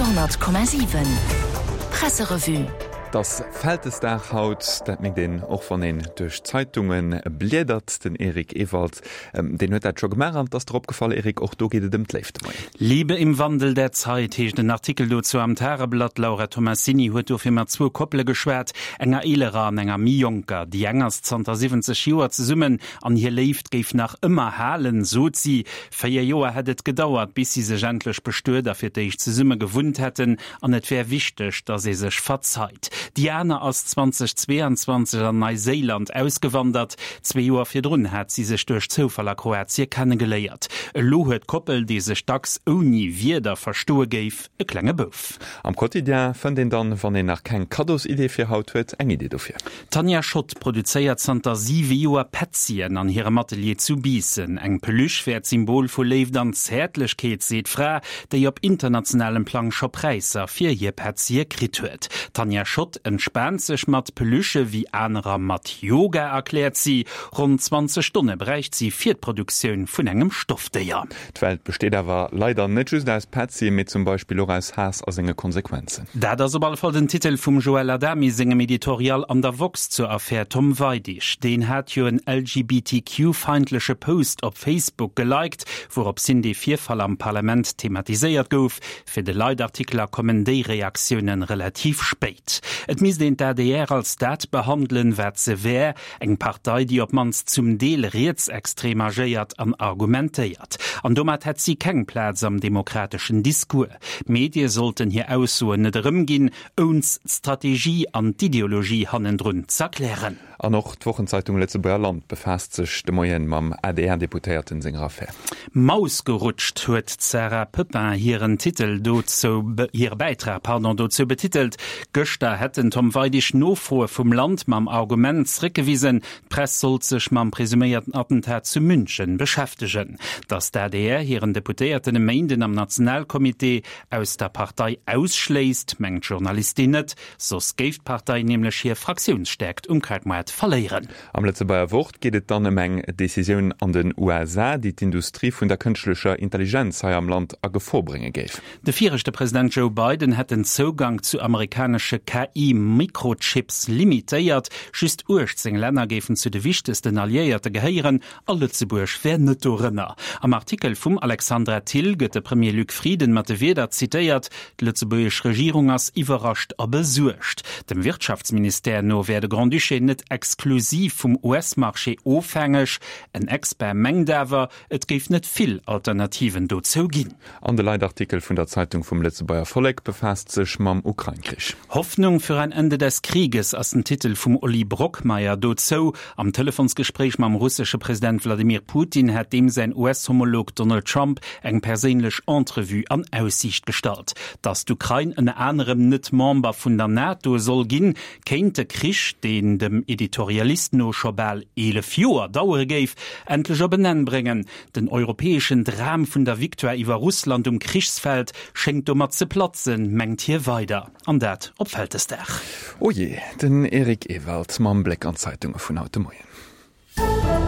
Radio 10,7 Presserevue. Et ass Vältesdag haut, dat mierkt een och wann een duerch d'Zeitunge bliedert. Den Eric Ewald, deen huet dat scho gemaach an et ass der opgefall, Eric, och do geet et ëm d'Léift de Moien. Liebe im Wandel der Zeit heescht en Artikel dozou am Tageblatt. D'Laura Tomassini huet dofir mat zwou Koppele geschwat, enger eelerer an enger méi jonker. Déi eng ass zanter 70 Joer zesummen an hir Léift géif nach ëmmer halen, sot si. 4 Joer hätt et gedauert, bis si sech endlech bestuet a fir d'éischt zesumme gewunnt hätten, an et wär wichteg, datt ee sech verzeit. Déi aner ass 2022 an Neiséiland ausgewandert. Zwee Joer virdrun hat si sech duerch Zoufall a Kroatie kennegeléiert. Elo huet d'Koppel, déi sech dacks ouni Wierder verstoe géif, e klenge Bouf. Am Quotidien fënnt een dann, wann een nach keng Kaddosidee fir haut huet, eng Idee dofir. D'Tanja Schott produzéiert zanter siwe Joer Petzien an hirem Atelier zu Biissen. Eng Peluche wär d'Symbol vu Léift an Zäertlechkeet, seet d'Fra, déi op internationalem Plang scho Präisser fir hir Petzie kritt huet. D'Tanja Schott entspaant sech mat Peluchë wéi anerer mat Yoga, erkläert si. Ronn 20 Stonne bräicht si fir d'Produktioun vun engem Stoffdéier. D'Welt besteet awer leider net just aus Petzi, mee zum Beispill och aus Haass a senge Konsequenzen. Dat ass op alle Fall den Titel vum Joël Adami sengem Editorial an der woxx zur Affär Tom Weidig. Deen hat jo en LGBTQ-feindleche Post op Facebook geliked, wourops hin dee Virfall am Parlament thematiséiert gouf. Fir de Leitartikler kommen déi Reaktioune relativ spéit. Et misst een d'ADR als dat behandelen, wat se wär, Eng Partei, déi op d'mannst zum Deel rietsextrem agéiert an argumentéiert. An domat hätt si keng Plaz am demokrateschen Discours. D'Medie sollten hir Aussoen net erëmginn, ouns d'Strategie an d'Ideologie hannendrun z'erklären. An och d'Wochenzeitung Lëtzebuerger Land befaasst sech de Moien mam ADR-Deputéierten senger Affär. Maus gerutscht huet d'Sarah Pepin hiren Titel dozou, hire Bäitrag, pardon, dozou betitelt. Gëschter hätt den Tom Weidig Nofroe vum Land mam Argument zréckgewisen, d'Press sollt sech mam presuméierten Attentat zu München beschäftegen. Datt d'ADR hiren Deputéierten e Méinden am Nationalcomité aus der Partei ausschléisst, mengt d'Journalistin net. Soss géif d'Partei nämlech hir Fraktiounsstäerkt um Krautmaart verléieren. Am Lëtzebuerger Wort geet et dann ëm eng Decisioun an den USA, déi d'Industrie vun der kënschtlecher Intelligenz hei am Land a Gefor brénge géif. De viregte President Joe Biden hätt den Zougank zu amerikanesche KI-Mikrochips limitéiert. Just 18 Länner géifen zu de wichtegsten Alliéierte gehéieren a Lëtzebuerg wär net dorënner. Am Artikel vum Alexandra Thill gëtt de Premier Luc Frieden mat de Wierder zitéiert, D'lëtzebuergesch Regierung ass iwwerrascht a besuergt. Dem Wirtschaftsministère no wär de Grand-Duché net exklusiv vum US-Marché ofhängeg. En Expert mengt awer, et géif net vill Alternativen dozou ginn. An de Leitartikel vun der Zeitung vum Lëtzebuerger Vollek befaasst sech mam Ukrain-Krich. Hoffnung für ein Ende des Krieges ass den Titel vum Oli Brockmeyer dozou. Am Telefonsgespréich mam russesche President Wladimir Putin hätt deem säin US-Homolog Donald Trump eng perséinlech Entrevue an Aussiicht gestallt. Datt d'Ukrain ënner anerem net Member vun der NATO soll ginn, kéint de Krich, deen dem Editorialist no scho bal 11 Joer dauere géif, endlech op en Enn bréngen. Den europäeschen Dram vun der Victoire iwwer Russland um Krichsfeld schéngt domat ze platzen, mengt hie weider. An dat op Vältesdag. O jee, den Eric Ewald mam Bléck an d'Zeitunge vun haut de Moien.